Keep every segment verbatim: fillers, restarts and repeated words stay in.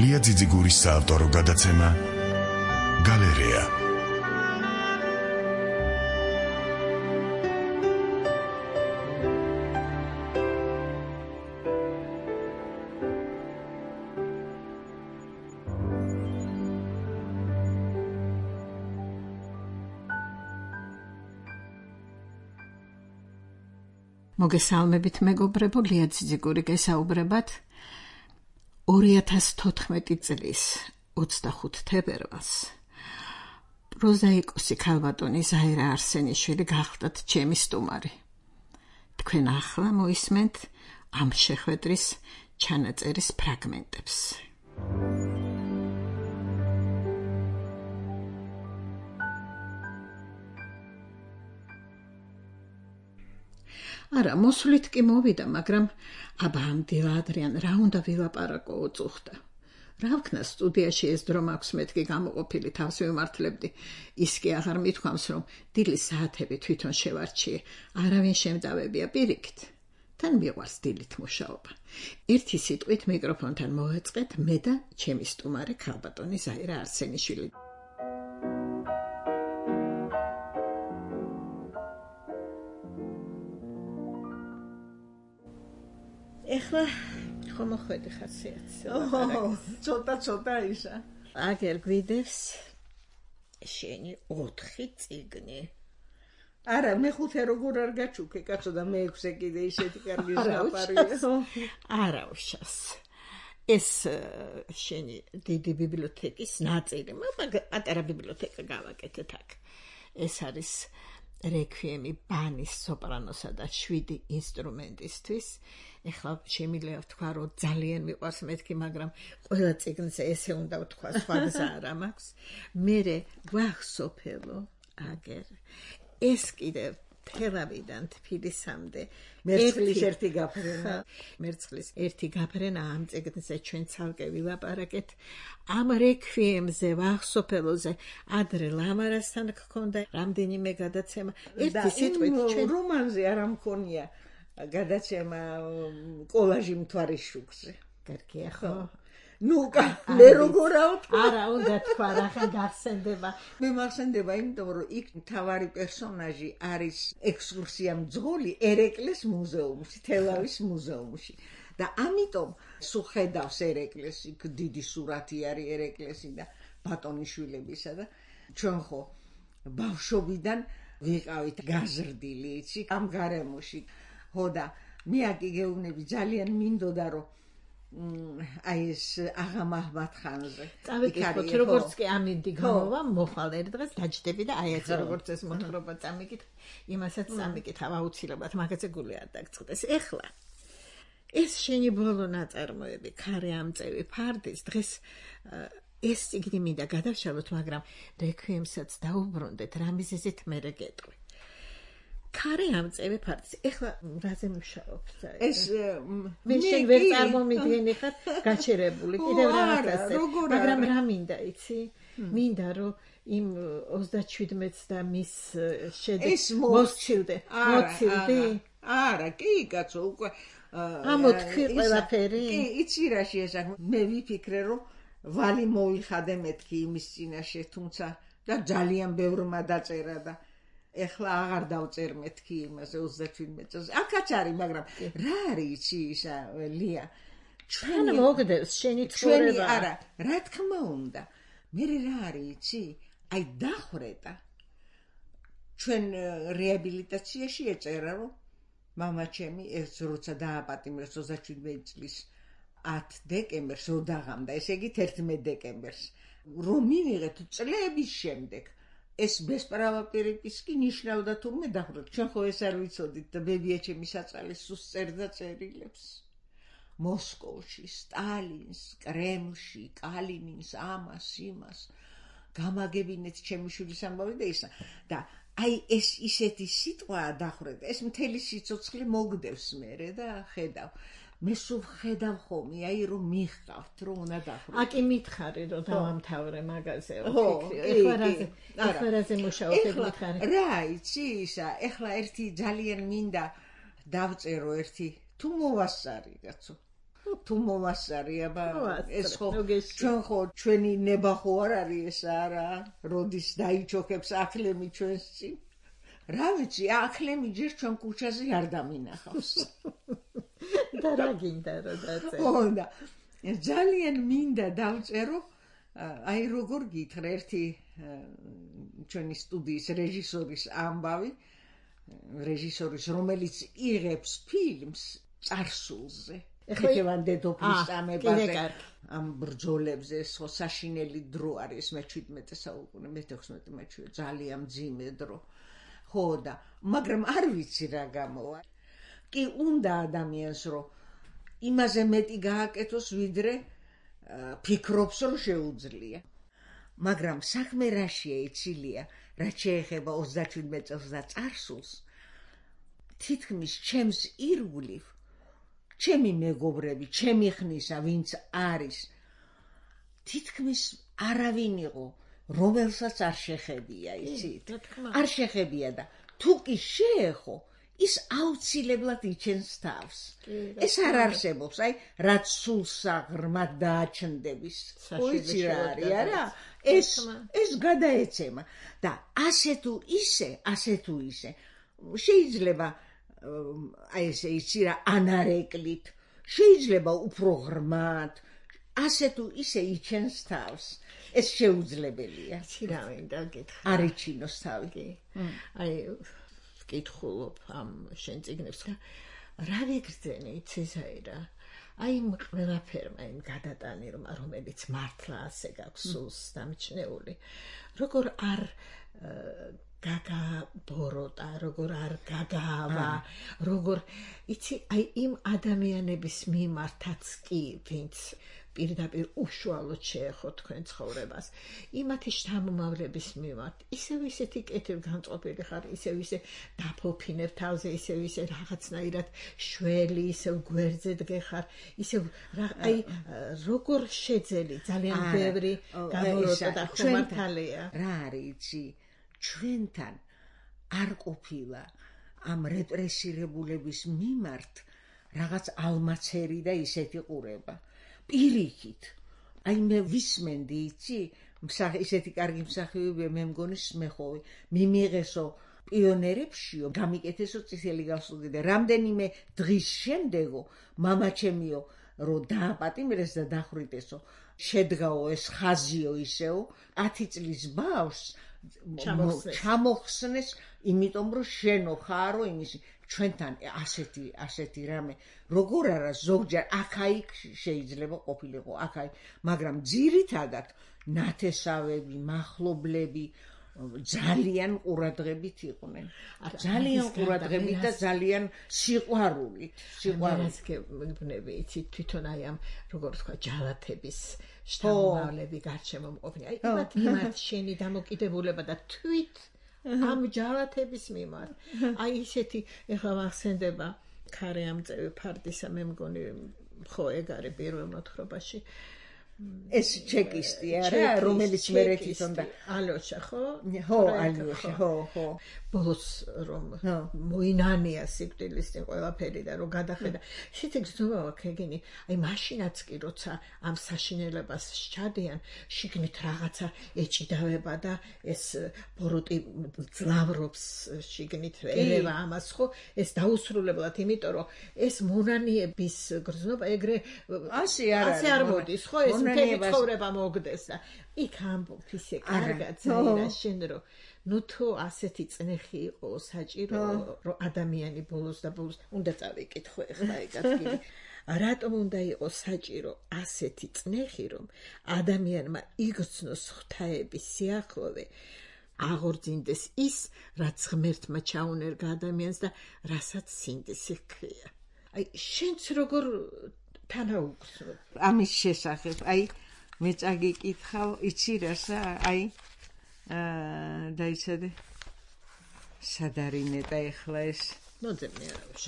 ლია ძიძიგურის საავტორო გადაცემა გალერეა. მოგესალმებით მეგობრებო, ლია ძიძიგური გესაუბრებათ ორი ათას თოთხმეტი წლის ოცდახუთი თებერვალს პროზაიკოსი ქალბატონი ზაირა არსენიშვილი გახლდათ ჩემი სტუმარი. თქვენ ახლა მოისმენთ ამ შეხვედრის ჩანაწერის ფრაგმენტებს. არა, მოსვლით კი მოვიდა, მაგრამ აბა ამდენ ადრიან რა უნდა ვილაპარაკო უწუხდა. რა ვქნა სტუდიაში ეს დრო მაქვს მეთქი გამოყოფილი თავს ვიმართლებდი. ის კი აღარ მithქვამს, რომ დილის საათები თვითონ შევარჩიე. არავინ შემტავებია პირიქით. თან მიყვარს დილით მუშაობა. ერთი სიტყვით მიკროფონთან მოვეწყეთ მე და ჩემი სტუმარი ქალბატონი ზაირა არსენიშვილი. ეხლა ხომ მოხვედი ხასიათს. ოჰ, ცოტა ცოტა ისა. აგერ გვიდევს შენი ოთხი წიგნი. არა, მეხუთე როგორ არ გაჩუქე, კაცო და მეექვსე კიდე ისეთი კარგი ზაფარია. არა უშავს. ეს შენი დიდი ბიბლიოთეკის ნაწილი, მაგრამ პატარა ბიბლიოთეკა გავაკეთეთ აქ. ეს არის რეკვიემი ბანის სოპრანოსა და შვიდი ინსტრუმენტისთვის. ეხლა შემიძლია ვთქვა, რომ ძალიან მიყვარს მეთქი, მაგრამ ყველა წიგნზე ესე უნდა ვთქვა, სხვა გზა არ მაქვს. მერე გვახსოფელო აგერ. ეს კიდე თელავიდან თბილისამდე მერცხლის ერთი გაფრენა. მერცხლის ერთი გაფრენა ამ წიგნზე ჩვენ ცალკე ვილაპარაკეთ. ამ რეკვიემზე ვახსოფელოზე ადრე ლამარასთან გქონდა რამდენიმე გადაცემა. ერთი სიტყვით ჩვენ რომანზე არ მქონია გადაცემა კოლაჟი მთვარის შუქზე. კარგია ხო? ნუ მე როგორა ვთქვა? არა, უნდა თქვა, რახან გახსენდება. მე მახსენდება, იმიტომ რომ იქ მთავარი პერსონაჟი არის ექსკურსია მძღოლი ერეკლეს მუზეუმში, თელავის მუზეუმში. და ამიტომ სულ ხედავს ერეკლეს, იქ დიდი სურათი არის ერეკლესი და ბატონიშვილებისა და ჩვენ ხო ბავშვობიდან ვიყავით გაზრდილი, იცი, ამ გარემოში. ხო და მე აქ გეუბნები ძალიან მინდოდა რომ აი ეს აღა მაჰმად-ხანზე. წავიკითხოთ, როგორც კი ამინდი გამოვა, მოხვალ ერთ დღეს დაჯდები და აი ეს როგორც ეს მოთხრობა წამიკითხ, იმასაც წამიკითხავ აუცილებლად, მაგაზე გული არ დაგწყდეს. ეხლა ეს შენი ბოლო ნაწარმოები, ქარი ამწევი ფარდის დღეს ეს წიგნი მინდა გადავშალოთ, მაგრამ რეკვიემსაც დაუბრუნდეთ, რა მიზეზით მერე გეტყვი. ქარი ამწევი ფარდის. ეხლა რაზე მუშაობ? ეს მე შენ ვერ წარმომიდგენი ხარ გაჩერებული კიდევ რაღაცაზე. მაგრამ რა მინდა, იცი? მინდა რომ იმ ოცდაჩვიდმეტს და მის შედეგს მოსცილდე. მოცილდი? არა, კი, კაცო, უკვე ამოთქვი ყველაფერი? კი, იცი რა შეესახება. მე ვიფიქრე რომ ვალი მოიხადე მეთქი იმის წინაშე, თუმცა და ძალიან ბევრმა დაწერა და ეხლა აღარ დავწერ მეთქი იმაზე ოცდაჩვიდმეტ წელს. აქაც არის, მაგრამ რა არის იცი ისა ლია? ჩვენ მოგდევს შენი ცხოვრება. არა, რა თქმა უნდა. მე რა არის იცი? აი დახრეტა. ჩვენ რეაბილიტაციაში ეწერა რომ მამა ჩემი ეს როცა დააპატიმრეს ოცდაჩვიდმეტ წლის ათი დეკემბერს რო დაღამდა, ესე იგი თერთმეტ დეკემბერს. რომ მივიღეთ წლების შემდეგ ეს ბესპრავა პირიპისკი ნიშნავდა თურმე დახრეთ. ჩვენ ხო ეს არ ვიცოდით და ბებია ჩემი საწყალი სულ წერდა წერილებს. მოსკოვში, სტალინს, კრემლში, კალინინს, ამას, იმას. გამაგებინეთ ჩემი შვილის ამბავი და ისა. და აი ეს ისეთი სიტყვაა დახრეთ. ეს მთელი სიცოცხლე მოგდევს მერე და ხედავ. მე სულ ხედავ ხოლმე, აი რომ მიხყავთ, რომ უნდა დახროთ. აკი მითხარი რომ დავამთავრე მაგაზე, ვფიქრი. ეხლა რაზე, ეხლა რაზე მუშაობ მითხარი? რა, იცი ისა, ეხლა ერთი ძალიან მინდა დავწერო ერთი თუ მოვასწარი, კაცო. თუ მომასწარია ბა მომასწრე, ეს ხო ნუ გეშ- ჩვენ ხო ჩვენი ნება ხო არ არის ეს არა როდის დაიჩოქებს ახლემი ჩვენს წინ რა ვიცი ახლემი ჯერ ჩვენ ქუჩაზე არ დამინახავს და რა გინდა რომ დაწერო? ხო და ძალიან მინდა დავწერო აი როგორ გითხრა ერთი ჩვენი სტუდიის რეჟისორის ამბავი რეჟისორის რომელიც იღებს ფილმს წარსულზე ეხევან დედოფლის წამებაზე ამ ბრძოლებზე ხო საშინელი დრო არის მეჩვიდმეტე საუკუნე მეთექვსმეტე მეჩვიდმეტე ძალიან მძიმე დრო ხო და მაგრამ არ ვიცი რა გამოვა კი უნდა ადამიანს რომ იმაზე მეტი გააკეთოს ვიდრე ფიქრობს რომ შეუძლია მაგრამ საქმე რაშია იცილია რაც შეეხება ოცდაშვიდმეტ წელს და წარსულს თითქმის ჩემს ირგვლივ ჩემი მეგობრები ჩემი ხნისა ვინც არის თითქმის არავინ იყო რომელსაც არ შეხებია იცით არ შეხებია და თუ კი შეეხო ის აუცილებლად იჩენს თავს ეს არ არსებობს აი რაც სულსა ღრმად დააჩნდების ვიცი რა არის არა ეს ეს გადაეცემა და ასე თუ ისე ასე თუ ისე შეიძლება აი ესე იცი რა ანარეკლით შეიძლება უფრო ღრმად ასე თუ ისე იჩენს თავს ეს შეუძლებელია იცი რა მინდა გითხრა არ იჩინოს თავი აი ვკითხულობ ამ შენ წიგნებს და რა ვიგრძენი იცი საირა აი იმ ყველაფერმა იმ გადატანი რომელიც მართლა ასე გაქვს სულს დამჩნეული როგორ არ გაგაბოროტა როგორ არ გაგაავა როგორ იცი აი იმ ადამიანების მიმართაც კი ვინც პირდაპირ უშუალოდ შეეხო თქვენ ცხოვრებას იმათი შთამომავლების მიმართ ისევ ისეთი კეთილ განწყობილი ხარ ისევ ისე დაფოფინებ თავზე ისევ ისე რაღაცნაირად შველი ისევ გვერდზე დგეხარ ისევ აი როგორ შეძელი ძალიან ბევრი გამოროტა და ხომართალია რა არის იცი ჩვენთან არ ყოფილა ამ რეპრესირებულების მიმართ რაღაც ალმაცერი და ისეთი ყურება პირიქით აი მე ვისმენდი იცი ისეთი კარგი მსახიობია მე მგონი სმეხოვი მიმიღესო პიონერებშიო გამიკეთესო წითელი გასული და რამდენიმე დღის შემდეგო მამაჩემიო რომ დააპატიმრეს და დახვრიტესო შედგაო ეს ხაზიო ისეო ათი წლის ბავშვს ჩამოხსნეს იმიტომ რომ შენო ხარო იმისი ჩვენთან ასეთი ასეთი რამე როგორ არა ზოგჯერ აქაიქ შეიძლება ყოფილიყო აქაი მაგრამ ძირითადად ნათესავები მახლობლები ძალიან ყურადღებით იყვნენ ძალიან ყურადღებით და ძალიან სიყვარულით სიყვარულით გებნები იცი თვითონ აი ამ როგორ თქვა ჯალათების შთამომავლები გარშემო მყოფნი აი იმათ იმათ შენი დამოკიდებულება და თვით ამ ჯალათების მიმართ აი ისეთი ეხლა ვახსენდება ქარე ამწევი ფარდისა მე მგონი ხო ეგ არის პირველ მოთხრობაში ეს ჩეკისტი არა რომელიც მერე თვითონ და ალოშა ხო ხო ალოშა ხო ხო ბოლოს რომ მოინანია სიკვდილის წინ ყველაფერი და რომ გადახედა ისეთი გზნობა აქვს ეგენი აი მაშინაც კი როცა ამ საშინელებას სჩადიან შიგნით რაღაცა ეჭიდავება და ეს ბოროტი ძლავრობს შიგნით ერევა ამას ხო ეს დაუსრულებლად იმიტომ რომ ეს მონანიების გზნობა ეგრე ასე არ არის ასე არ მოდის ხო ეს მთელი ცხოვრება მოგდეს და იქ ამბობ ისე კარგად ზაირა შენ რომ ნუ თუ ასეთი წნეხი იყო საჭირო რომ ადამიანი ბოლოს და ბოლოს უნდა წავიკითხო ეხლა ეგ ადგილი რატომ უნდა იყოს საჭირო ასეთი წნეხი რომ ადამიანმა იგრძნოს ღვთაების სიახლოვე აღორძინდეს ის რაც ღმერთმა ჩაუნერგა ადამიანს და რასაც სინდისი ჰქვია აი შენც როგორ თანაუგრძნობ ამის შესახებ აი მე წაგიკითხავ იცი რასა აი აა დაიცადე სადარინეტა ეხლა ეს მოძებნე არავის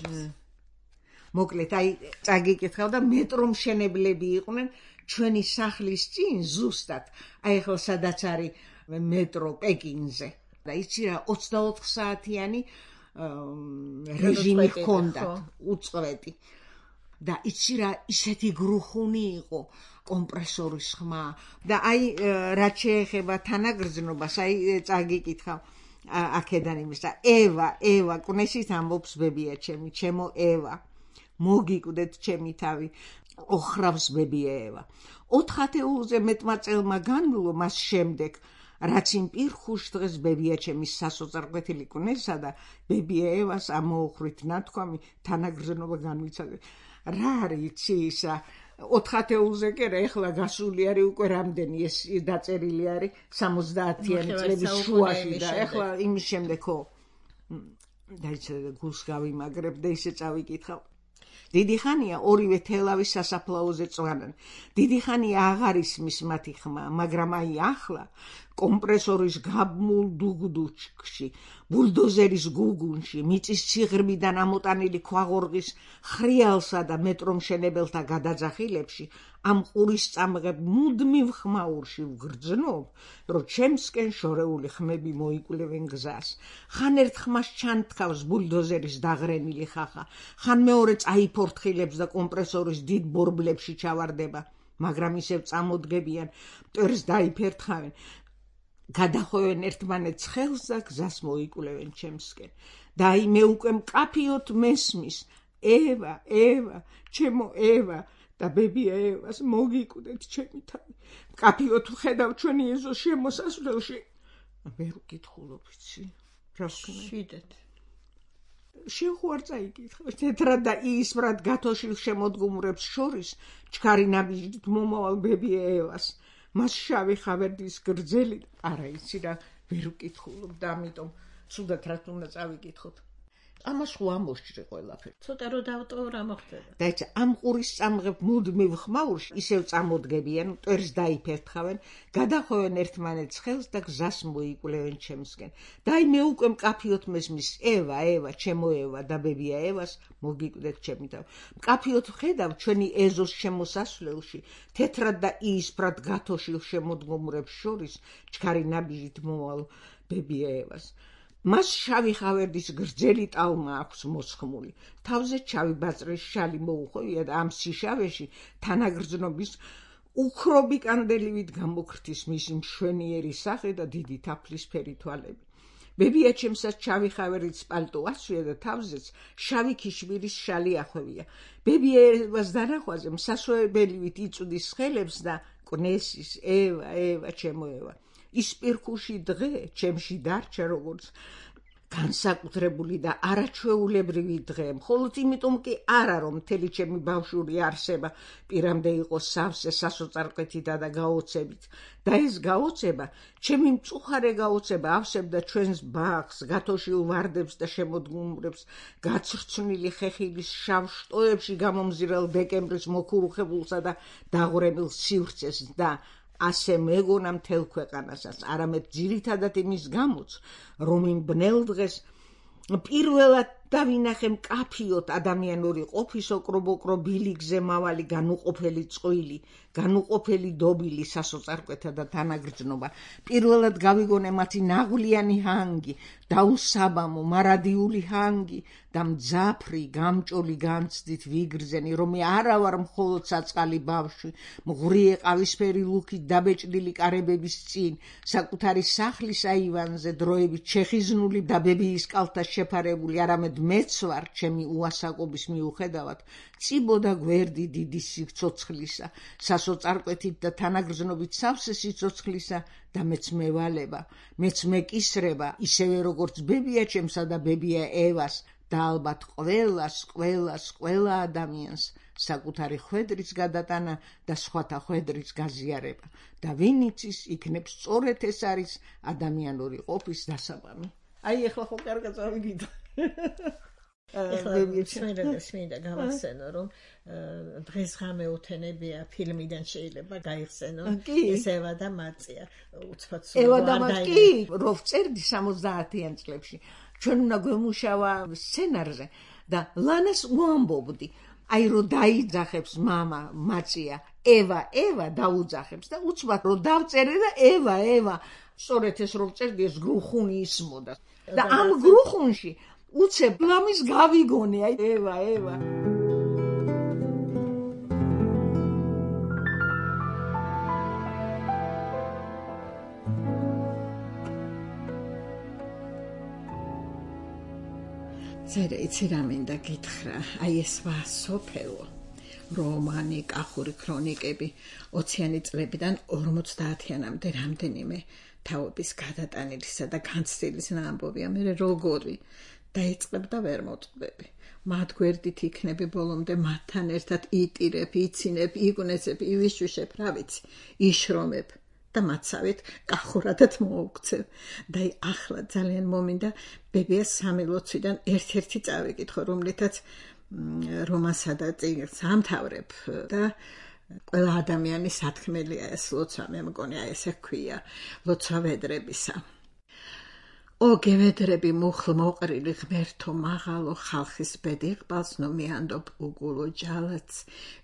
მოკლედ აი წაგიკითხავ და მეტრო მშენებლები იყვნენ ჩვენი სახლის წინ ზუსტად აი ეხლა სადაც არის მეტრო პეკინზე და იცი რა ოცდაოთხ საათიანი რეჟიმი ჰქონდათ უწყვეტი და იცი რა ისეთი გრუხუნი იყო კომპრესორის ხმა და აი რაც შეეხება თანაგრძნობას აი წაგიკითხავ აქედან იმის და ევა ევა კნესით ამბობს ბებია ჩემი ჩემო ევა მოგიკვდეთ ჩემი თავი ოხრავს ბებია ევა ოთხ ათეულზე მეტმა წელმა განვლო მას შემდეგ რაც იმ პირხუშ დღეს ბებია ჩემის სასოწარკვეთილი კნესა და ბებია ევას ამოუხრით ნათქვამი თანაგრძნობა განვიცადე რა არის იცი ისა ოთხ ათეულზე კი რა ეხლა გასული არის უკვე რამდენი ეს დაწერილი არის სამოცდაათიანი წლების შუაში და ეხლა იმის შემდეგ ხო დაიცადე გულს გავიმაგრებ და ისე წავიკითხავ დიდი ხანია ორივე თელავის სასაფლაოზე წვანენ დიდი ხანია აღარ ისმის მათი ხმა მაგრამ აი ახლა კომპრესორის გაბმულ დუგდუჩქში ბულდოზერის გუგუნში მიწის ციღრმიდან ამოტანილი ქვაღორღის ხრიალსა და მეტრომშენებელთა გადაძახილებში ამ ყურის წამღებ მუდმივ ხმაურში ვგრძნობ რომ ჩემსკენ შორეული ხმები მოიკვლევენ გზას ხან ერთ ხმას ჩანთქავს ბულდოზერის დაღრენილი ხახა ხან მეორე წაიფორთხილებს და კომპრესორის დიდ ბორბლებში ჩავარდება მაგრამ ისევ წამოდგებიან მტერს დაიფერთხავენ გადახოვენ ერთმანეთს ხელს და გზას მოიკვლევენ ჩემსკენ და აი მე უკვე მკაფიოდ მესმის ევა ევა ჩემო ევა და ბებია ევას მოგიკვდეთ ჩემი თავი მკაფიოდ ვხედავ ჩვენი ეზოს შემოსასვლელში ვერ ვკითხულობ იცი რა ვქნა შეუხვარ წაიკითხე თეთრად და იისბრად გათოშილ შემოდგომრებს შორის ჩქარი ნაბიჯით მომავალ ბებია ევას მას შავი ხავერდის გრძელი არა იცი რა ვერ ვკითხულობ და ამიტომ სულაც რაც უნდა წავიკითხოთ ამას ხო ამოსჭრე ყველაფერი ცოტა რო დავტოვ რა მოხდება და იცი ამ ყურის წამღებ მუდმივ ხმაურში ისევ წამოდგებიან მტერს დაიფერთხავენ გადახოვენ ერთმანეთს ხელს და გზას მოიკვლევენ ჩემსკენ და აი მე უკვე მკაფიოდ მესმის ევა ევა ჩემო ევა და ბებია ევას მოგიკვდეთ ჩემი თავი მკაფიოდ ვხედავ ჩვენი ეზოს შემოსასვლელში თეთრად და იისფრად გათოშილ შემოდგომრებს შორის ჩქარი ნაბიჯით მომავალ ბებია ევას მას შავი ხავერდის გრძელი ტალმა აქვს მოსხმული თავზე ჩავი ბაწრის შალი მოუხოვია და ამ სიშავეში თანაგრძნობის უქრობი კანდელივით გამოგრთის მისი მშვენიერი სახე და დიდი თაფლისფერი თვალები ბებია ჩემსაც ჩავი ხავერდის პალტო ასვია და თავზეც შავი ქიშმირის შალი ახვევია ბებია ევას დანახვაზე მსასვენებლივით იწვდის ხელებს და კნესის ევა ევა ჩემო ევა ის პირქუში დღე ჩემში დარჩა როგორც განსაკუთრებული და არაჩვეულებრივი დღე მხოლოდ იმიტომ კი არა რომ მთელი ჩემი ბავშვური არსება პირამდე იყო სავსე სასოწარკვეთითა და გაოცებით და ეს გაოცება ჩემი მწუხარე გაოცება ავსებდა ჩვენს ბაღს გათოშილ ვარდებს და შემოდგომრებს გაცრცვნილი ხეხილის შავ შტოებში გამომზირელ დეკემბრის მოქურუხებულსა და დაღვრებილ სივრცეს და ასე მეგონა მთელ ქვეყანასაც არამედ ძირითადად იმის გამოც რომ იმ ბნელ დღეს პირველად დავინახე მკაფიოდ ადამიანური ყოფის ოკრობ-ოკრობ ბილიგზე მავალი განუყოფელი წყვილი განუყოფელი დობილი სასოწარკვეთა და თანაგრძნობა პირველად გავიგონე მათი ნაღვლიანი ჰანგი დაუსაბამო მარადიული ჰანგი და მძაფრი გამჭოლი განცდით ვიგრძენი რომ მე არა ვარ მხოლოდ საწყალი ბავშვი მღვრიე ყავისფერი ლუქით დაბეჭდილი კარებების წინ საკუთარი სახლის აივანზე დროებით ჩეხიზნული და ბებიის კალთა შეფარებული არამედ მეც ვარ ჩემი უასაკობის მიუხედავად წიბოდა გვერდი დიდი სიცოცხლისა სასოწარკვეთით და თანაგრძნობით სავსე სიცოცხლისა და მეც მევალება მეც მეკისრება ისევე როგორც ბებია ჩემსა და ბებია ევას და ალბათ ყველას ყველას ყველა ადამიანს საკუთარი ხვედრის გადატანა და სხვათა ხვედრის გაზიარება და ვინ იცის იქნებ სწორედ ეს არის ადამიანური ყოფის დასაბამი აი ეხლა ხო კარგად წავიგით ეხლა სმინდა გავახსენო რომ დღესღამე უთენებია ფილმიდან შეიძლება გაიხსენო ეს ევა და მაწია უცბად სულ ევა და მაწი რო ვწერდი სამოცდაათიან წლებში ჩვენ უნდა გვემუშავა სცენარზე და ლანას უამბობდი აი რო დაიძახებს მამა მაწია ევა ევა დაუძახებს და უცბად რო დავწერე და ევა ევა სწორედ ეს რო ვწერდი ეს გრუხუნი ისმოდა და ამ გრუხუნში უცებ ლამის გავიგონე აი ევა ევა წერე იცი რა მინდა გითხრა, აი ეს ვასოფელო რომანი, კახური ქრონიკები ოციანი წლებიდან ორმოცდაათიანამდე რამდენიმე თავების გადატანილისა და განცდილისა ამბობია, მე როგორი დაიწყებ და ვერ მოწყდები. მათ გვერდით იქნები ბოლომდე მათთან ერთად იტირებ, იცინებ, იგუნესებ, ივიშვიშებ, რა ვიცი, იშრომებ და მაცავით კახურადად მოუქცევ. და ახლა ძალიან მომინდა ბებიას სამი ლოცვიდან ერთ-ერთი წავიკითხო, რომლითაც რომანსა და წიგნს ამთავრებ და ყველა ადამიანის სათქმელია ეს ლოცვა, მე მგონი აი ესე ქვია, ლოცვა ვედრებისა. ო გევედრები მუხლ მოყრილი ღმერთო მაღალო ხალხის ბედი ყბალს ნუ მიანდობ უგულო ჯალათს,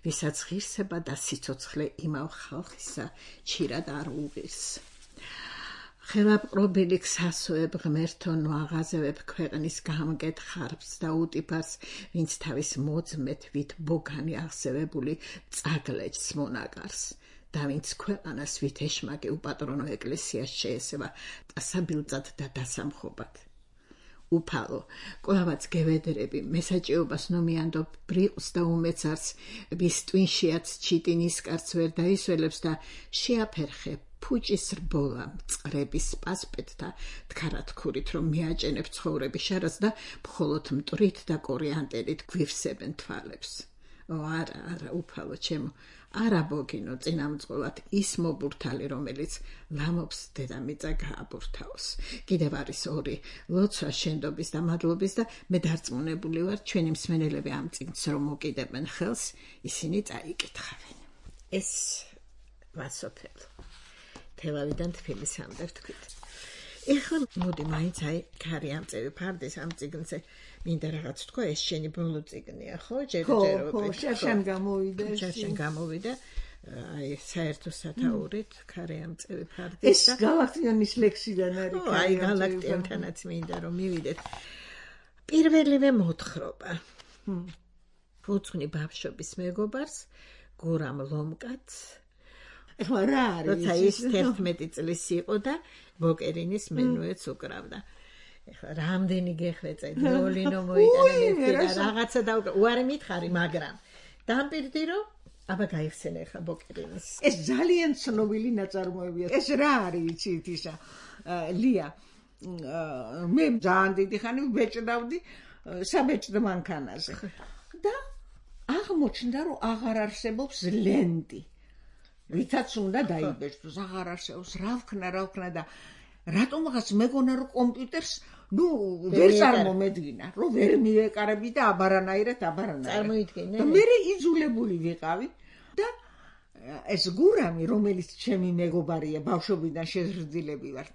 ვისაც ღირსება და სიცოცხლე იმავ ხალხისა ჩირად არ უღირს. ხელაპყრობილი გსასოებ ღმერთო ნუ აღაზევებ ქვეყნის გამგედ ხარბს და უტიფარს, ვინც თავის მოძმეთ ვით ბოგანი აღსევებული წაგლეჯს მონაკარს. და ვინც ქვეყანას ვით ეშმაკი უპატრონო ეკლესიას შეესება დასაბილწად და დასამხობად. უფალო, ყველავაც გევედრები, მესაჭეობას ნუ მიანდობ ბრიყს და უმეცარს, ვის ტვინშიაც ჩიტი ნისკარს ვერ დაისველებს და შეაფერხე ფუჭის რბოლა მწყრების პასპეტთა თხარათქურით, რომ მიაჭენებ ცხოვრების შარას და მხოლოდ მტრით და კორიანტერით გვივსებენ თვალებს. ო არა, არა, უფალო ჩემო, არა ბოგინო წინამძღოლად ის მობურთალი, რომელიც ლამობს დედამიწა გააბურთაოს. კიდევ არის ორი ლოცვა შენდობის და მადლობის და მე დარწმუნებული ვარ, ჩვენი მსმენელები ამ წიგნს რომ მოკიდებენ ხელს, ისინი წაიკითხავენ. ეს ვასოფელო თელავიდან თბილისამდე ვთქვით. ეხლა მოდი მაინც აი ქარი ამწევი ფარდის ამ წიგნზე მინდა რაღაც თქვა, ეს შენი ბოლო წიგნია, ხო? ჯერჯერობით. ხო, შენ გამოვიდა. შენ გამოვიდა. აი საერთო სათაურით ქარი ამწევი ფარდის ეს გალაქტიონის ლექსიდან არის. აი გალაქტიონთანაც მინდა რომ მივიდეთ. პირველივე მოთხრობა. ფუცხვი ბავშვობის მეგობარს, გურამ ლომკაც ეხლა რა არის? როცა ის თერთმეტი წლის იყო და ბოკერინის მენუეც უკრავდა. ეხლა რამდენი გეხრეწე, ნოლინო მოიტანა და რაღაცა და უარი მითხარი, მაგრამ დამპირდი რომ აბა გაიხსენე ეხლა ბოკერინის. ეს ძალიან ცნობილი ნაწარმოებია. ეს რა არის, იცით ისა? ლია, მე ძალიან დიდი ხანი ვბეჭდავდი საბეჭდ მანქანაზე. და აღმოჩნდა რომ აღარ არსებობს ლენტი. ვითაც უნდა დაიბეჭდოს, აღარ არსებობს, რა ვქნა, რა ვქნა და რატომღაც მეგონა რომ კომპიუტერს ნუ ვერ წარმომედგინა, რომ ვერ მივეკარები და აბარანაირად აბარანაირად. წარმოიდგინე. და მე იძულებული ვიყავი და ეს გურამი, რომელიც ჩემი მეგობარია, ბავშვობიდან შეზრდილები ვართ,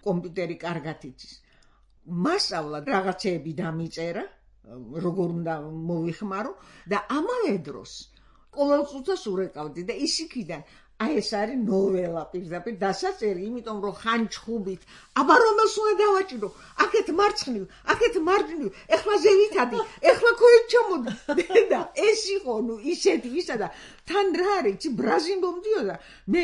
კომპიუტერი კარგად იცის. მასწავლა რაღაცეები დამიწერა, როგორ უნდა მოვიხმარო და ამავე დროს ყოველ წუთას ურეკავდი და ისიქიდან აი ეს არის ნოველა პირდაპირ დასაწერი, იმიტომ რომ ხანჩხუბით, აბა რომელს უნდა დავაჭირო, აქეთ მარცხნივ, აქეთ მარჯვნივ, ეხლა ზევითადი, ეხლა ქვევით ჩამოდი. და ეს იყო ნუ ისეთი ვისა და თან რა არის, ბრაზილო მდიოდა, მე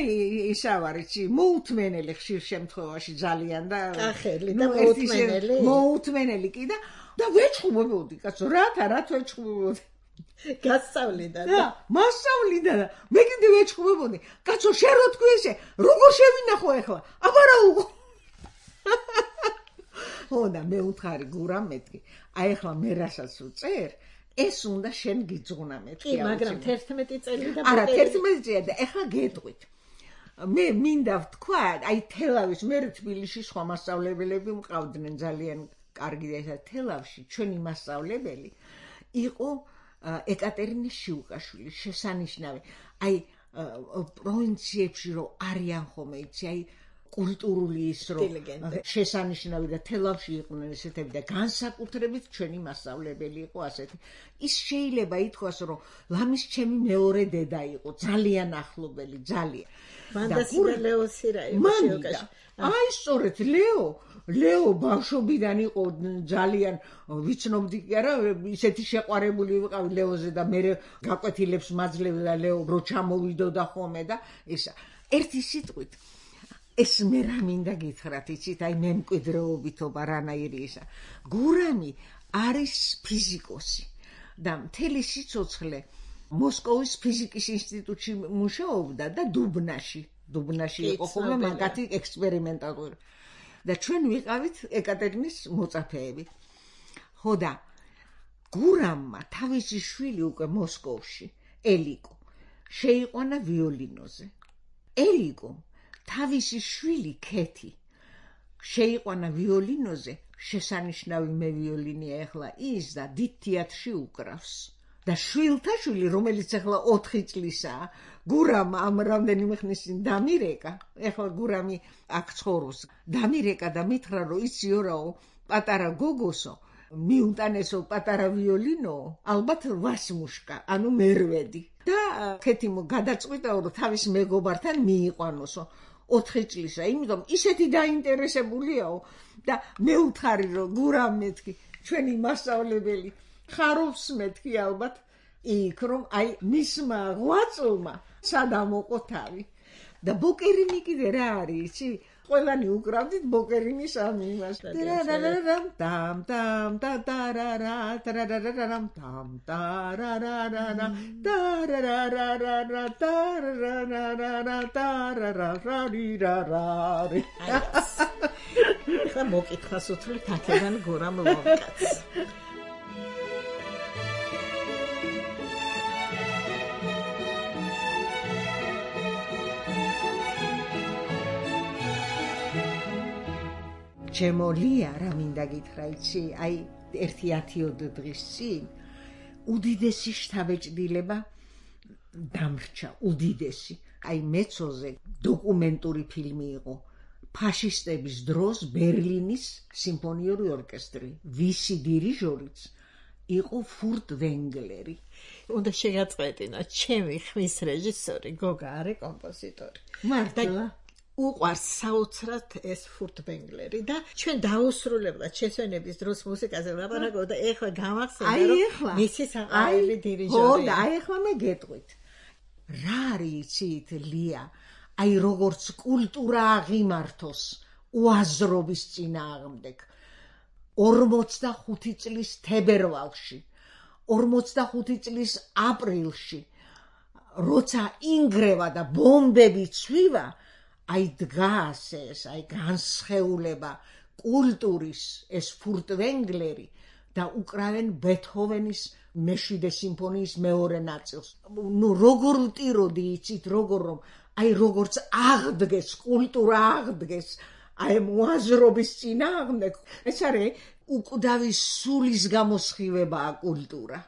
ისა ვარ, იცი, მოუთმენელი ხშირ შემთხვევაში ძალიან და კახელი და მოუთმენელი. მოუთმენელი კი და და ვეჩხუბებოდი, კაცო, რათა რა ვეჩხუბებოდი. გასწავლიდა და მასწავლიდა და მე კიდე ვეჩხუბებოდი, კაცო, შენ რო თქვი ესე, როგორ შევინახო ეხლა? აბა რა უყო. ხო და მე უთხარი გურამ მეთქი, აი ეხლა მე რასაც უწერ, ეს უნდა შენ გიძღვნა მეთქი. კი, მაგრამ თერთმეტი წელი და არა, თერთმეტი წელი და ეხლა გეტყვით. მე მინდა ვთქვა, აი თელავის, მე თბილისში სხვა მასწავლებელები მყავდნენ ძალიან კარგი და ესა თელავში ჩვენი მასწავლებელი იყო ეკატერინა შიუკაშვილი, შესანიშნავი. აი პროვინციებში რო არიან ხოლმე, იცი, აი კულტურული ის რო შესანიშნავი და თელავში იყვნენ ესეთები და განსაკუთრებით ჩვენი მასწავლებელი იყო ასეთი. ის შეიძლება ითქვას, რომ ლამის ჩემი მეორე დედა იყო, ძალიან ახლობელი, ძალიან. მანდასი და ლეოსი რა იყო შიუკაში. აი სწორედ ლეო ლეო ბავშვობიდან იყო ძალიან ვიცნობდი კი არა, ისეთი შეყვარებული ვიყავი ლეოზე და მე გაკვეთილებს მაძლევდა და ლეო რო ჩამოვიდოდა ხოლმე და ესა. ერთი სიტყვით ეს მე რა მინდა გითხრათ, იცით, აი მემკვიდრეობითობა რანაირი ისა. გურამი არის ფიზიკოსი და მთელი სიცოცხლე მოსკოვის ფიზიკის ინსტიტუტში მუშაობდა და დუბნაში დუბნაში იყო ხოლმე მაგათი ექსპერიმენტალური და ჩვენ ვიყავით ეკატერინის მოწაფეები. ხო და გურამმა თავისი შვილი უკვე მოსკოვში ელიკო შეიყვანა ვიოლინოზე. ელიკო თავისი შვილი ქეთი შეიყვანა ვიოლინოზე, შესანიშნავი მე ვიოლინია ახლა ის და დიდ თეატრში უკრავს. და შვილთა შვილი, რომელიც ახლა ოთხი წლისაა, გურამ ამ რამდენიმე ხნის წინ დამირეკა, ახლა გურამი აქ ცხოვრობს, დამირეკა და მითხრა, რომ იციო რაო, პატარა გოგოსო, მიუტანესო პატარა ვიოლინო, ალბათ ვასმუშკა, ანუ მერვედი. და ქეთი გადაწყვიტაო, რომ თავის მეგობართან მიიყვანოსო. ოთხი წლისა, იმიტომ ისეთი დაინტერესებულიაო და მე ვთხარი, რომ გურამ მეთქი, ჩვენი მასწავლებელი ხარობს მეთქი ალბათ იქ, რომ აი მისმა ღვაწლმა სადამოყო თავი. და ბოკერინი კიდე რა არის, იცი? ყველანი უკრავდით ბოკერინის ამ იმას. ტარარარამ ტამ ტამ ტარარარა ტარარარამ ტამ ტარარარა ტარარარარა ტარარარა ტარარარარირარარი. ხა მოკითხას უთხრი თაქედან გურამ ლომკაც. ჩემო ლია რა მინდა გითხრა იცი, აი ერთი ათიოდ დღის წინ უდიდესი შთაბეჭდილება დამრჩა, უდიდესი. აი მეცოზე დოკუმენტური ფილმი იყო ფაშისტების დროს ბერლინის სიმფონიური ორკესტრი, ვისი დირიჟორიც იყო ფურტ ვენგლერი. უნდა შეგაწყვეტინა, ჩემი ხმის რეჟისორი გოგა არის კომპოზიტორი. მართლა უყვარს საოცრად ეს ფურტ ვენგლერი და ჩვენ დაუსრულებლად შესვენების დროს მუსიკაზე ვლაპარაკობ და ეხლა გამახსენდა რომ მისი საყვარელი დირიჟორი. ხო და აი ეხლა მე გეტყვით. რა არის იცით ლია? აი როგორც კულტურა აღიმართოს უაზრობის წინააღმდეგ. ორმოცდახუთი წლის თებერვალში, ორმოცდახუთი წლის აპრილში, როცა ინგრევა და ბომბები ცვივა, აი დგას ეს, აი განსხეულება კულტურის ეს ფურტ ვენგლერი და უკრავენ ბეთჰოვენის მეშვიდე სიმფონიის მეორე ნაწილს. ნუ როგორ ვტიროდი იცით, როგორ რომ აი როგორც აღდგეს კულტურა აღდგეს აი მოაზრობის წინააღმდეგ. ეს არის უკვდავის სულის გამოსხივებაა კულტურა,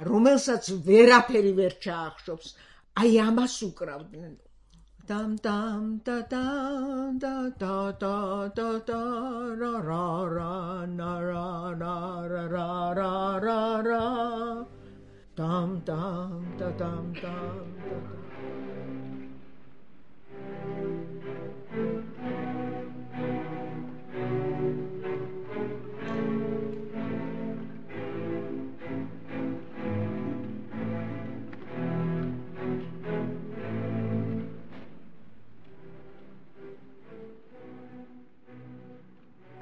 რომელსაც ვერაფერი ვერ ჩაახშობს. აი ამას უკრავდნენ. Tam tam ta ta ta ta ta ta ta ra ra ra na ra ra ra ra ra ra ra tam tam ta tam tam ta ta.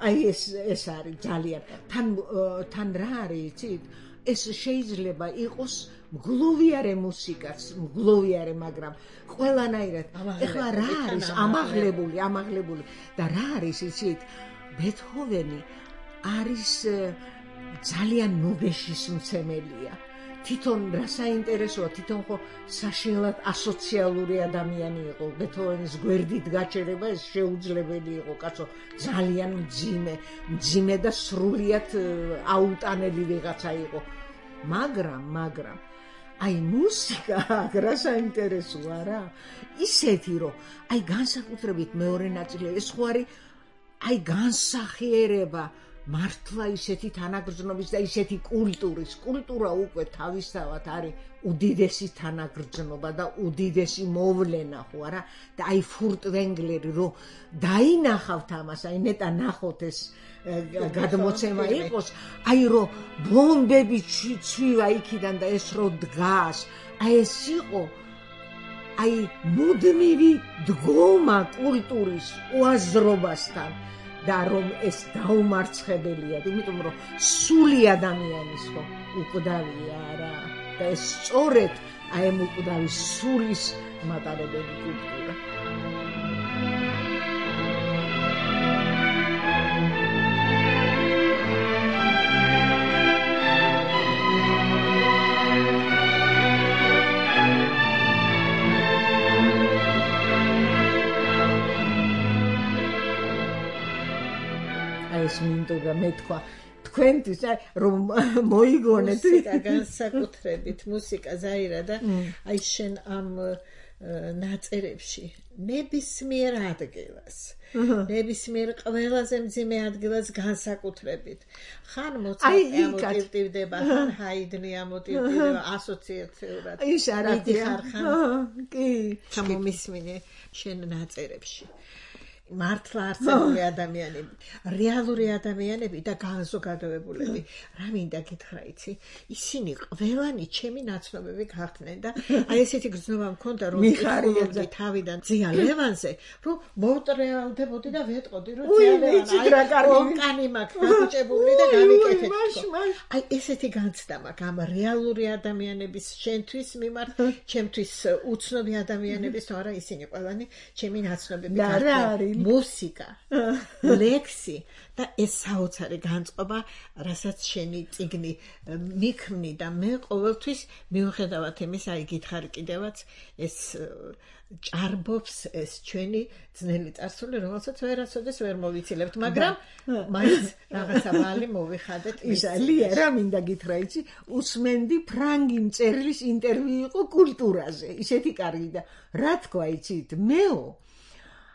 აი ეს ეს არის ძალიან თან თან რა არის იცით, ეს შეიძლება იყოს მგლოვიარე მუსიკაც, მგლოვიარე, მაგრამ ყველანაირად ეხლა რა არის ამაღლებული, ამაღლებული და რა არის იცით, ბეთჰოვენი არის ძალიან ნუგეშის მცემელია. თვითონ რა საინტერესოა, თვითონ ხო საშინლად ასოციალური ადამიანი იყო. ბეთჰოვენის გვერდით გაჩერება ეს შეუძლებელი იყო, კაცო, ძალიან მძიმე, მძიმე და სრულიად აუტანელი ვიღაცა იყო. მაგრამ, მაგრამ აი მუსიკა რა საინტერესოა რა. ისეთი რომ აი განსაკუთრებით მეორე ნაწილი ეს ხო არის აი განსახიერება მართლა ისეთი თანაგრძნობის და ისეთი კულტურის. კულტურა უკვე თავისთავად არის უდიდესი თანაგრძნობა და უდიდესი მოვლენა ხო არა? და აი ფურტ ვენგლერი რომ დაინახავთ ამას, აი ნეტა ნახოთ ეს გადმოცემა იყოს, აი რომ ბომბები ცვივა იქიდან და ეს რო დგას, აი ეს იყო აი მუდმივი დგომა კულტურის უაზრობასთან. და რომ ეს დაუმარცხებელია, იმიტომ რომ სული ადამიანის ხო უკვდავია რა და ეს სწორედ აი ამ უკვდავის სულის მატარებელი კულტურა. ეს მინდოდა მეთქვა თქვენთვის რომ მოიგონეთ მუსიკა განსაკუთრებით მუსიკა ზაირა და აი შენ ამ ნაწერებში ნებისმიერ ადგილას ნებისმიერ ყველაზე მძიმე ადგილას განსაკუთრებით ხან მოცარტი ამოტივტივდება ხან ჰაიდნი ამოტივტივდება ასოციაციურად ის არა კი გამომისმინე შენ ნაწერებში მართლა არსებული ადამიანები, რეალური ადამიანები და განზოგადოებულები. რა მინდა გითხრა იცი, ისინი ყველანი ჩემი ნაცნობები გახდნენ და აი ესეთი გრძნობა მქონდა რომ მიხარია თავიდან ზია ლევანზე, რომ მოვტრეალდებოდი და ვეტყოდი რომ ზია ლევანი ონკანი მაქვს გაგუჭებული და გამიკეთეთ. აი ესეთი განცდა მაქვს ამ რეალური ადამიანების შენთვის მიმართ, ჩემთვის უცნობი ადამიანების, თორე ისინი ყველანი ჩემი ნაცნობები გახდნენ. მუსიკა, ლექსი და ეს საოცარი განწყობა, რასაც შენი წიგნი მიქმნი და მე ყოველთვის მიუხედავად იმისა, აი გითხარი კიდევაც ეს ჭარბობს ეს ჩვენი ძნელი წარსული, რომელსაც ვერასოდეს ვერ მოვიცილებთ, მაგრამ მაინც რაღაცა ვალი მოვიხადეთ. ისალია რა მინდა გითხრა იცი, უსმენდი ფრანგი მწერლის ინტერვიუ იყო კულტურაზე, ისეთი კარგი და რა თქვა იცით, მეო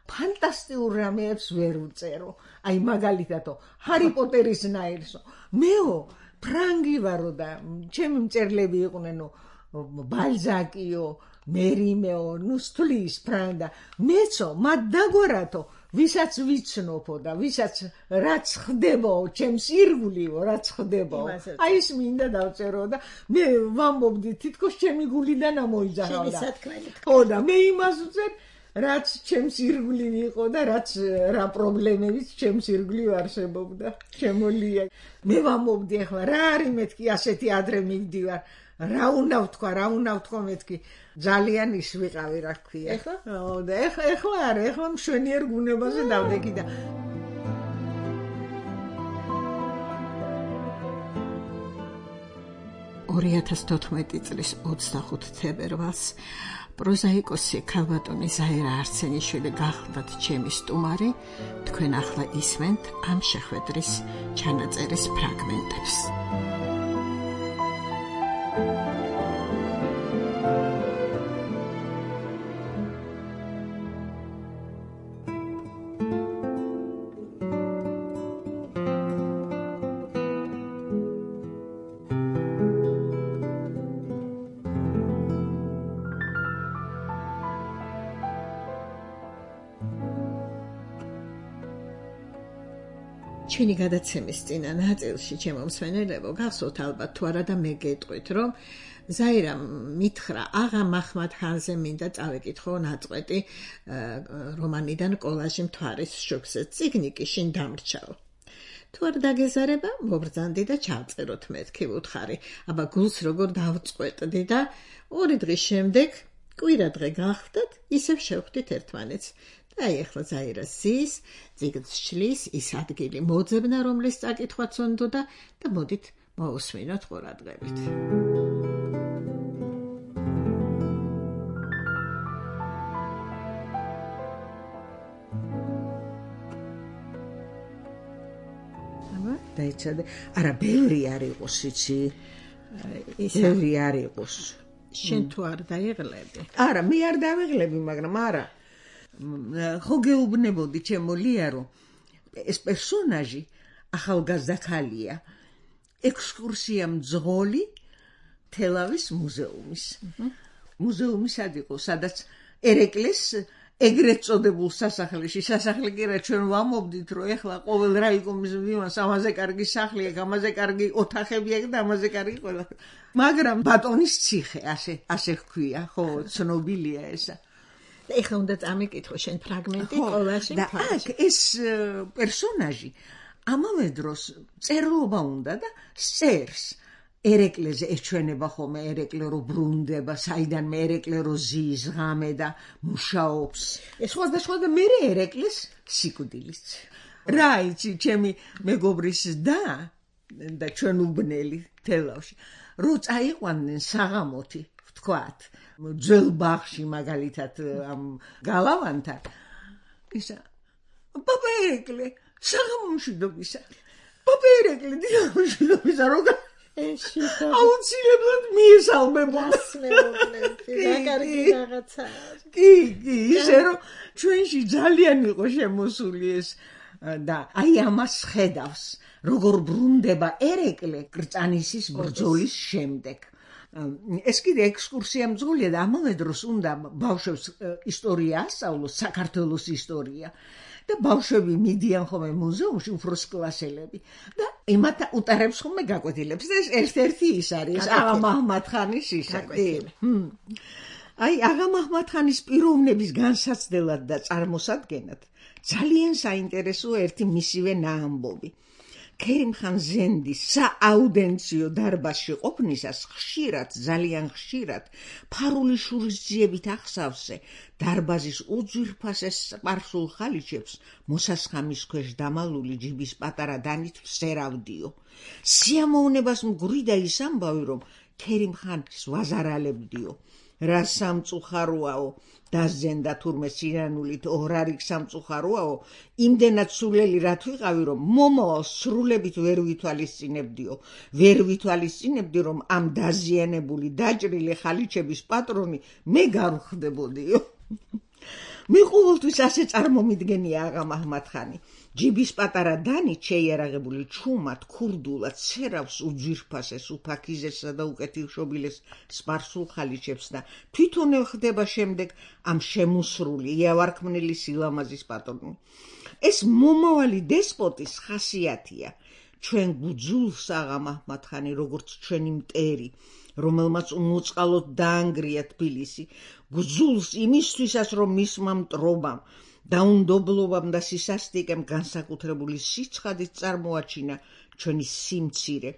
ფანტასტიკურ რამეებს ვერ უწერო. აი მაგალითად, ჰარი პოტერის ნაირსო. მეო ფრანგი ვარო და ჩემი მწერლები იყვნენ ბალზაკიო, მერიმეო, ნუსტლის ფრანდა. მეცო მათ დაგვარათო, ვისაც ვიცნობო და ვისაც რაც ხდებო, ჩემს ირგვლივ რაც ხდებო. აი ეს მინდა დავწერო და მე ვამბობდი თითქოს ჩემი გულიდან ამოიძახავდა. ხო და მე იმას ვწერ რაც ჩემს ირგვლივ იყო და რაც რა პრობლემებიც ჩემს ირგვლივ არსებობდა. შემოლია. მე ვამბობდი ახლა რა არის მეთქი ასეთი ადრე მივდივარ. რა უნდა ვთქვა, რა უნდა ვთქვა მეთქი. ძალიან ის ვიყავი რა ქვია. ეხლა? ო და ეხლა ეხლა არა, ეხლა მშვენიერ გუნებაზე დავდეგი და ორი ათას თოთხმეტი წლის ოცდახუთი თებერვალს პროზაიკოსი ქალბატონი ზაირა არცენიშვილი გახლდათ ჩემი სტუმარი. თქვენ ახლა ისმენთ ამ შეხვედრის ჩანაწერის ფრაგმენტებს. ჩვენი გადაცემის წინა ნაწილში ჩემო მსმენელებო გახსოვთ ალბათ თუ არა და მე გეტყვით რომ ზაირამ მითხრა აღა მაჰმად ხანზე მინდა წავეკითხო ნაწყვეტი რომანიდან კოლაჟი მთვარის შუქზე. წიგნი კი შინ დამრჩაო. თუ არ დაგეზარება მობრძანდი და ჩავწეროთ მეთქი ვუთხარი. აბა გულს როგორ დავწყვეტდი და ორი დღის შემდეგ კვირა დღე გახდათ ისევ შევხვდით ერთმანეთს. აი ახლა ზაირა ზის, წიგნს შლის, ის ადგილი მოძებნა, რომლის წაკითხვაც უნდოდა და მოდით მოусმინოთ ყურადღებით. აბა დაიცადე, არა ბევრი არ იყოს იცი. ბევრი არ იყოს. შენ თუ არ დაიღლები? არა, მე არ დავიღლები, მაგრამ არა ხო გეუბნებოდი ჩემო ლია რომ ეს პერსონაჟი ახალგაზრდა ქალია. ექსკურსია მძღოლი თელავის მუზეუმის. მუზეუმი სად იყო, სადაც ერეკლეს ეგრეთ წოდებულ სასახლეში, სასახლე კი რა ჩვენ ვამობდით რომ ეხლა ყოველ რაიკომის მივანს ამაზე კარგი სახლი აქვს, ამაზე კარგი ოთახები აქვს და ამაზე კარგი ყველა. მაგრამ ბატონის ციხე ასე ასე ჰქვია, ხო, ცნობილია ესა. და ეხლა უნდა წამიკითხო შენ ფრაგმენტი ყოველში და აქ ეს პერსონაჟი ამავე დროს წერლობა უნდა და წერს ერეკლეზე ეჩვენება ხოლმე ერეკლე რო ბრუნდება საიდანმე ერეკლე რო ზის ღამე და მუშაობს სხვადასხვა და მე ერეკლეს სიკვდილიც რა იცი ჩემი მეგობრის და და ჩვენ უბნელი თელავში რო წაიყვანდნენ საღამოთი ვთქვათ ძველ ბაღში მაგალითად ამ გალავანთან ისა პაპა ერეკლე საღამომშვიდობისა პაპა ერეკლე დილამშვიდობისა როგა ეშიტა აუცილებლად მიესალმებოდა რა კარგი რაღაცა კი კი ისე რომ ჩვენში ძალიან იყო შემოსული ეს და აი ამას ხედავს როგორ ბრუნდება ერეკლე კრწანისის ბრძოლის შემდეგ ეს კიდე ექსკურსია მძღოლია და ამავე დროს უნდა ბავშვებს ისტორია ასწავლოს საქართველოს ისტორია და ბავშვები მიდიან ხოლმე მუზეუმში უფროს კლასელები და იმათ უტარებს ხოლმე გაკვეთილებს და ეს ერთ-ერთი ის არის აღა მაჰმად-ხანის ისაკი აი აღა მაჰმად-ხანის პიროვნების განსაცდელად და წარმოსადგენად ძალიან საინტერესოა ერთი მისივე ნაამბობი ქერიმ-ხან ზენდის სააუდენციო დარბაზში ყოფნისას ხშირად ძალიან ხშირად ფარული შურისძიებით ახსავსე დარბაზის უძვირფასეს სპარსულ ხალიჩებს მოსასხამის ქვეშ დამალული ჯიბის პატარა დანით ვსერავდიო სიამოვნებას მგვრიდა ის ამბავი რომ ქერიმ-ხანის ვაზარალებდიო რა სამწუხაროაო დაზენდა თურმე სირანულით ორარი სამწუხაროაო იმდენად სულელი რა თვიყავი რომ მომავალ სრულებით ვერ ვითვალისწინებდიო ვერ ვითვალისწინებდი რომ ამ დაზიანებული დაჭრილი ხალიჩების პატრონი მე გავხდებოდიო მე ყოველთვის ასე წარმომიდგენია აღა მაჰმად-ხანი ჯიბის პატარა დანი შეიარაღებული ჩუმად ქურდულად ცერავს უძვირფასეს უფაქიზესა და უკეთილშობილეს სპარსულ ხალიჩებს და თვითონ ხდება შემდეგ ამ შემოსრული იავარქმნელი სილამაზის პატრონი ეს მომავალი დესპოტის ხასიათია ჩვენ გუძულს აღა მაჰმად-ხანი როგორც ჩვენი მტერი რომელმაც უმოწყალოდ დაანგრია თბილისი გუძულს იმისთვისაც რომ მისმა მტრობამ დაუნდობლობამ და სისასტიკემ განსაკუთრებული სიცხადით წარმოაჩინა ჩვენი სიმცირე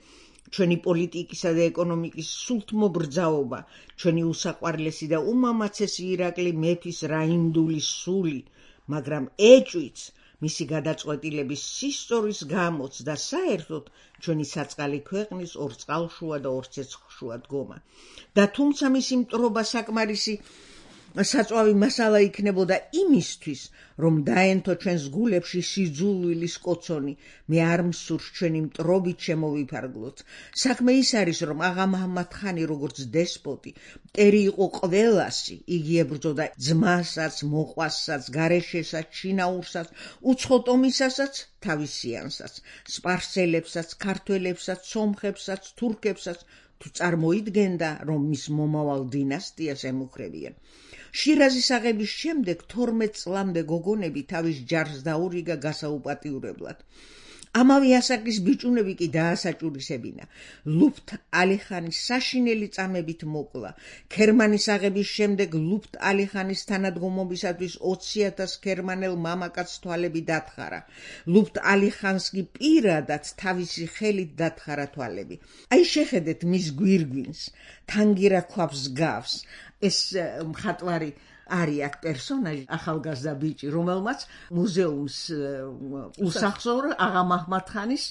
ჩვენი პოლიტიკისა და ეკონომიკის სულთმობრძაობა ჩვენი უსაყვარლესი და უმამაცესი ირაკლი მეფის რაინდულის სული მაგრამ ეჭვიც მისი გადაწყვეტილების სისტორის გამოც და საერთოდ ჩვენი საწყალი ქვეყნის ორ წყალშუა და ორ ცეცხლშუა დგომა და თუმცა მისი მტრობა საკმარისი საწვავი მასალა იქნებოდა იმისთვის რომ დაენთო ჩვენს გულებში სიძულვილის კოცონი მე არ მსურს ჩვენი მტრობით შემოვიფარგლოთ საქმე ის არის რომ აღა მაჰმად-ხანი როგორც დესპოტი მტერი იყო ყველასი იგი ებრძოდა ძმასაც მოყვასაც გარეშესაც შინაურსაც უცხოტომისასაც თავისიანსაც სპარსელებსაც ქართველებსაც სომხებსაც თურქებსაც თუ წარმოიდგენდა რომ მის მომავალ დინასტიას ემუქრებიან შირაზის აღების შემდეგ თორმეტ წლამდე გოგონები თავის ჯარს დაურიგა გასაუპატიურებლად ამავე ასაკის ბიჭუნები კი დაასაჭურისებინა ლუფთ ალი-ხანის საშინელი წამებით მოკლა ქერმანის აღების შემდეგ ლუფთ ალი-ხანის თანადგომობისათვის ოცი ათას ქერმანელ მამაკაც თვალები დათხარა ლუფთ ალი-ხანს კი პირადად თავისი ხელით დათხარა თვალები აი შეხედეთ მის გვირგვინს თანგირა ქვავს გავს ეს მხატვარი არის აქ პერსონაჟი ახალგაზრდა ბიჭი რომელმაც მუზეუმს უსახსოვრო აღა მაჰმად-ხანის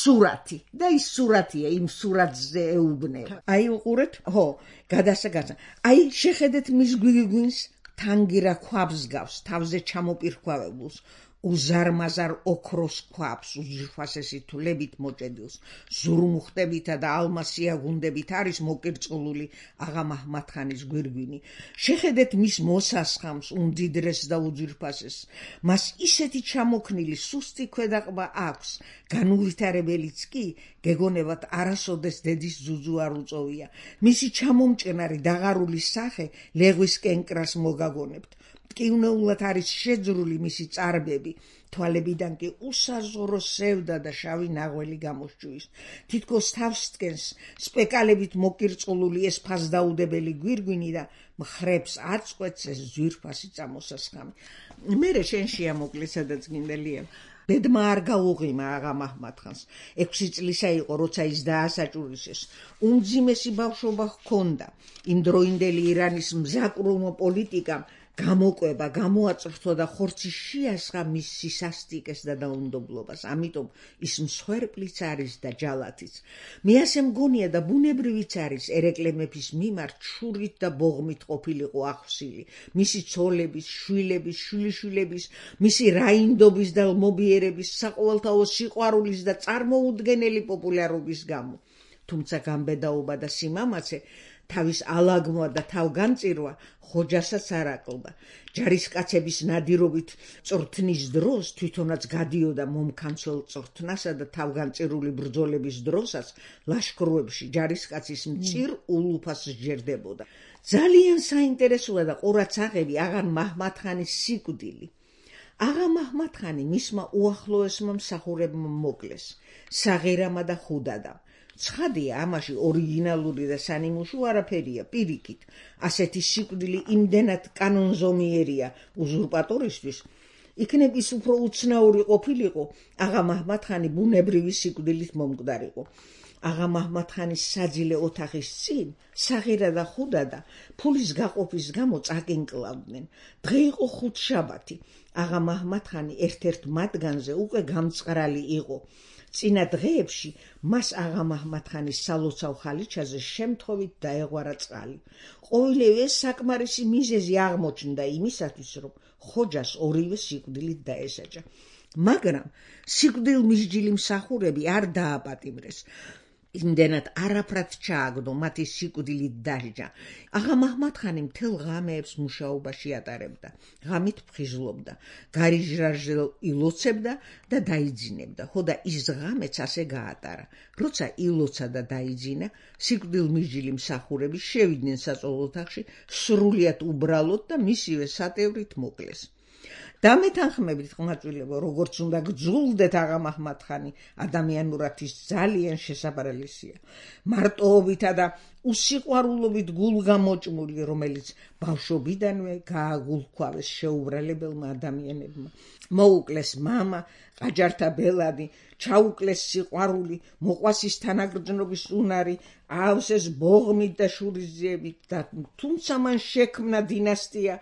სურათი და ის სურათია იმ სურათზე ეუბნება აი უყურეთ ხო გადასაგაცა აი შეხედეთ მის გვირგვინს თანგირა ქვავს გავს თავზე ჩამოპირქვავებულს უზარმაზარ ოქროს ქვავს უძვირფასესი თვლებით მოჭედილს ზურმუხტებითა და ალმასიაგუნდებით არის მოკირწყლული აღა მაჰმად-ხანის გვირგვინი შეხედეთ მის მოსასხამს უმდიდრეს და უძვირფასეს მას ისეთი ჩამოქნილი სუსტი ქვედაყბა აქვს განუვითარებელიც კი გეგონებათ არასოდეს დედის ძუძუ არ უწოვია მისი ჩამომჭრნარი დაღარული სახე ლეღვის კენკრას მოგაგონებთ მტკივნეულად არის შეძრული მისი წარბები, თვალებიდან კი უსაზღურო სევდა და შავი ნაღველი გამოსჯვის. თითქოს თავს დგენს სპეკალებით მოკირწყლული ეს ფასდაუდებელი გვირგვინი და მხრებს აწყვეტს ეს ძვირფასი წამოსასხამი. მერე შენ შეამოკლე, სადაც გინდა ლია. ბედმა არ გაუღიმა აღა მაჰმად-ხანს. ექვსი წლისა იყო, როცა ის დაასაჭურისეს. უმძიმესი ბავშვობა ჰქონდა. იმდროინდელი ირანის მზაკრუმო პოლიტიკამ გამოკვება, გამოაწრთვა და ხორცი შეასხა მის სისასტიკეს და დაუნდობლობას. ამიტომ ის მსხვერპლიც არის და ჯალათიც. მე ასე მგონია და ბუნებრივიც არის, ერეკლე მეფის მიმართ შურით და ბოღმით ყოფილიყო ახსილი. მისი ცოლების, შვილების, შვილიშვილების, მისი რაინდობის და მობიერების, საყოველთაო სიყვარულის და წარმოუდგენელი პოპულარობის გამო. თუმცა გამბედაობა და სიმამაცე თავის ალაგმა და თავგანწირვა ხოჯასაც არ აკლდა. ჯარისკაცების ნადირობით წვრთნის დროს თვითონაც გადიოდა მომქანცელ წვრთნასა და თავგანწირული ბრძოლების დროსაც ლაშქროებში ჯარისკაცის მწირ ულუფას სჯერდებოდა. ძალიან საინტერესოა და ყურაცაღები აღა მაჰმად-ხანის სიკვდილი. აღა მაჰმად-ხანი მისმა უახლოესმა მსახურებმა მოკლეს, საღირამა და ხუდადა. ცხადია, ამაში ორიგინალური და სანიმუშო არაფერია, პირიქით. ასეთი სიკვდილი იმდენად კანონზომიერია უზურპატორისთვის, იქნებ ის უფრო უცნაური ყოფილიყო, აღა მაჰმად-ხანი ბუნებრივი სიკვდილით მომკვდარიყო. აღა მაჰმად-ხანის საძილე ოთახის წინ საღირა და ხუდადა ფულის გაყოფის გამო წაკინკლავდნენ. დღე იყო ხუთშაბათი. აღა მაჰმად-ხანი ერთ-ერთ მათგანზე უკვე გამწყრალი იყო. წინა დღეებში მას აღა მაჰმად-ხანის სალოცავ ხალიჩაზე შემთხვევით დაეღვარა წყალი. ყოველივე ეს საკმარისი მიზეზი აღმოჩნდა იმისათვის, რომ ხოჯას ორივე სიკვდილით დაესაჯა. მაგრამ სიკვდილმისჯილი მსახურები არ დააპატიმრეს. იმდენად არაფრად ჩააგდო მათი სიკვდილით დასჯა. აღა მაჰმად-ხანი მთელ ღამეებს მუშაობაში ატარებდა. ღამით ფხიზლობდა, გარიჟრაჟზე ილოცებდა და დაიძინებდა. ხოდა ის ღამეც ასე გაატარა. როცა ილოცა და დაიძინა, სიკვდილმისჯილი მსახურები შევიდნენ საწოლ ოთახში, სრულიად უბრალოდ და მისივე სატევრით მოკლეს. დამეთანხმებით, ყმაწვილებო, როგორც უნდა გძულდეთ აღა მაჰმად-ხანი, ადამიანურად ის ძალიან შესაბრალისია. მარტოობითა და უსიყვარულობით გულგამოჭმული, რომელიც ბავშვობიდანვე გააგულქვავეს შეუბრალებელმა ადამიანებმა. მოუკლეს მამა, ყაჯართა ბელადი, ჩაუკლეს სიყვარული, მოყვას ის თანაგრძნობის უნარი, აავსეს ბოღმით და შურისძიებით და თუმცა მან შექმნა დინასტია,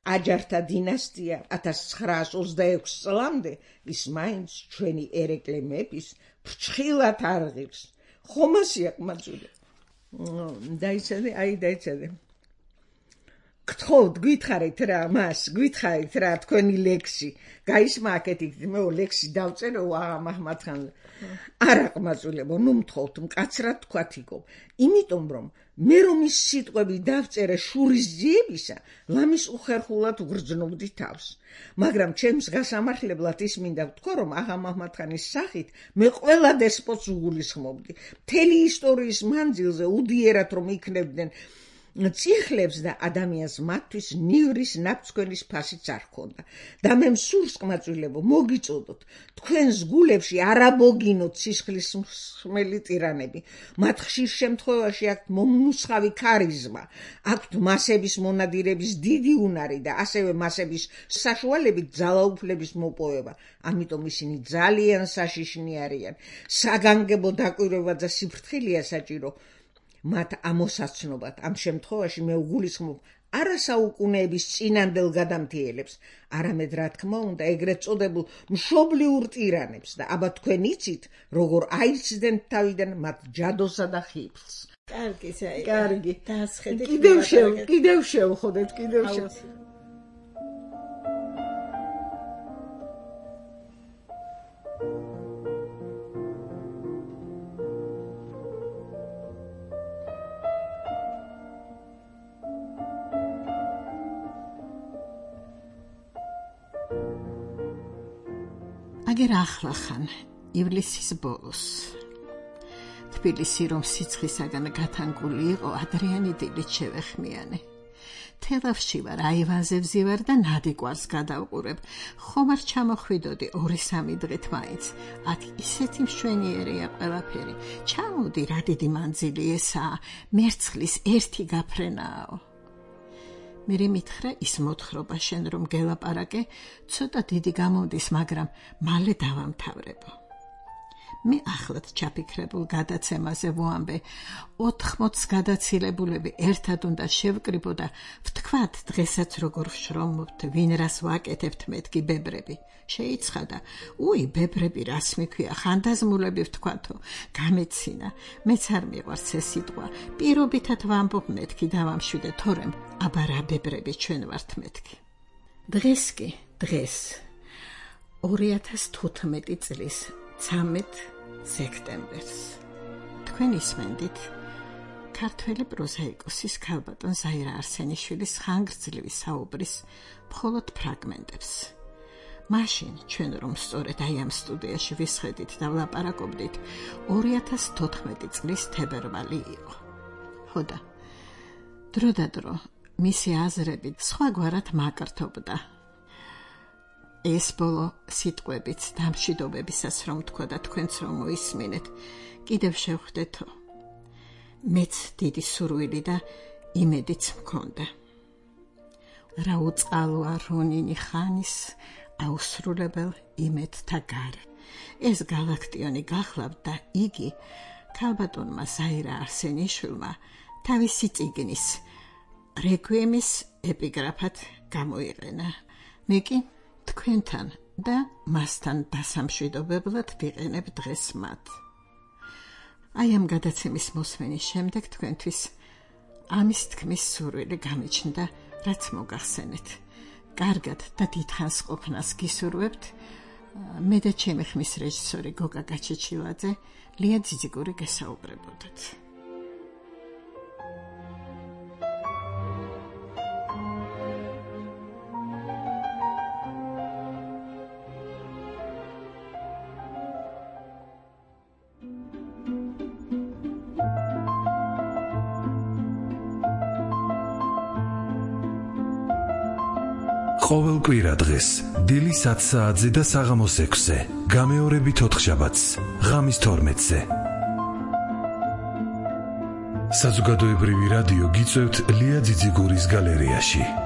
აჯართა დინასტია ათას ცხრაას ოცდაექვსი წლამდე, ის მაინც ჩვენი ერეკლე მეფის ფრჩხილად არღირს. ხომ ასია, ყმაწვილი? დაიცადე, აი დაიცადე. გთხოვთ, გითხარით რა მას, გითხარით რა თქვენი ლექსი. გაისმა აქეთ მე ლექსი დავწერო აღა მაჰმად-ხანზე. არა ყმაწვილებო, ნუ მთხოვთ, მკაცრად თქვათ იქო. იმიტომ რომ მე რომ ის სიტყვები დავწერე შურისძიებისა, ლამის უხერხულად უგრძნობდი თავს. მაგრამ ჩემს გასამართლებლად ის მინდა ვთქვა, რომ აღა მაჰმად-ხანის სახით მე ყველა დესპოტს უგულისხმობდი. მთელი ისტორიის მანძილზე უდიერად რომ იქნებდნენ წიხლებს და ადამიანს მათთვის ნივრის ნაფცქვენის ფასიც არ ჰქონდა. და მე მსურს ყმაწვილებო, მოგიწოდოთ, თქვენს გულებში არ აბოგინოთ სისხლის მსმელი ტირანები. მათ ხშირ შემთხვევაში აქვთ მომნუსხავი ქარიზმა, აქვთ მასების მონადირების დიდი უნარი და ასევე მასების საშუალებით ძალაუფლების მოპოვება. ამიტომ ისინი ძალიან საშიშნი არიან. საგანგებო დაკვირვება და სიფრთხილეა საჭირო მათ ამოსაცნობად. ამ შემთხვევაში მე უგულისხმობ არა საუკუნეების წინანდელ გადამთიელებს, არამედ რა თქმა უნდა ეგრეთ წოდებულ მშობლიურ ტირანებს და აბა თქვენ იცით, როგორ აიცდნენ თავიდან მათ ჯადოსა და ხიფლს. კარგი, საი. კარგი. დაასხედეთ. კიდევ შევ, კიდევ შევხოდეთ, კიდევ შევ. აგერ ახლახან, ივლისის ბოლოს. თბილისი რომ სიცხისაგან გათანგული იყო, ადრიანი დილით შევეხმიანე. თელავში ვარ, აივანზე ვზივარ და ნადიკვარს გადავყურებ. ხომ არ ჩამოხვიდოდი ორი სამი დღით მაინც. აქ ისეთი მშვენიერია ყველაფერი. ჩამოდი, რა დიდი მანძილი ესაა, მერცხლის ერთი გაფრენაო. მერე მითხრა ის მოთხრობა შენ რომ გელაპარაკე, ცოტა დიდი გამომდის, მაგრამ მალე დავამთავრებო. მე ახლად ჩაფიქრებულ გადაცემაზე ვუამბე, ოთხმოც გადაცილებულები ერთად უნდა შევკრიბო და ვთქვათ დღესაც როგორ ვშრომობთ, ვინ რას ვაკეთებთ მეთქი ბებრები. შეიცხადა, უი ბებრები რას მიქვია, ხანდაზმულები ვთქვათო, გამეცინა, მეც არ მიყვარს ეს სიტყვა, პირობითად ვამბობ მეთქი დავამშვიდე, თორემ აბა რა ბებრები ჩვენ ვართ მეთქი. დღეს კი, დღეს, ორი ათას თოთხმეტი წლის ცამეტ სექტემბერს. თქვენ ისმენდით ქართველი პროზაიკოსის ქალბატონ ზაირა არსენიშვილის ხანგრძლივი საუბრის მხოლოდ ფრაგმენტებს. მაშინ ჩვენ რომ სწორედ აი ამ სტუდიაში ვისხედით და ვლაპარაკობდით, ორი ათას თოთხმეტი წლის თებერვალი იყო. ხოდა, დრო და დრო მისი აზრები სხვაგვარად მაკრთობდა. ეს ბოლო სიტყვებიც დამშვიდობებისას რომ თქვა და თქვენც რომ მოისმინეთ, კიდევ შევხვდეთო. მეც დიდი სურვილი და იმედიც მქონდა. რა უწყალოა რონინი ხანის აუსრულებელ იმედთა გარე. ეს გალაქტიონი გახლავთ და იგი ქალბატონმა ზაირა არსენიშვილმა თავისი წიგნის რეკვიემის ეპიგრაფად გამოიყენა. მე კი თქვენთან და მასთან დასამშვიდობებლად ვიყენებ დღეს მათ. აი ამ გადაცემის მოსმენის შემდეგ თქვენთვის ამის თქმის სურვილი გამიჩნდა, რაც მოგახსენეთ. კარგად და დიდხანს ყოფნას გისურვებთ. მე და ჩემი ხმის რეჟისორი გოგა გაჩეჩილაძე, ლია ძიძიგური გესაუბრებოდათ. ყოველ კვირა დღეს დილის ათ საათზე და საღამოს ექვსზე, გამეორებით ოთხშაბათს, ღამის თორმეტზე. საზოგადოებრივი რადიო გიწევთ ლია ძიძიგურის გალერეაში.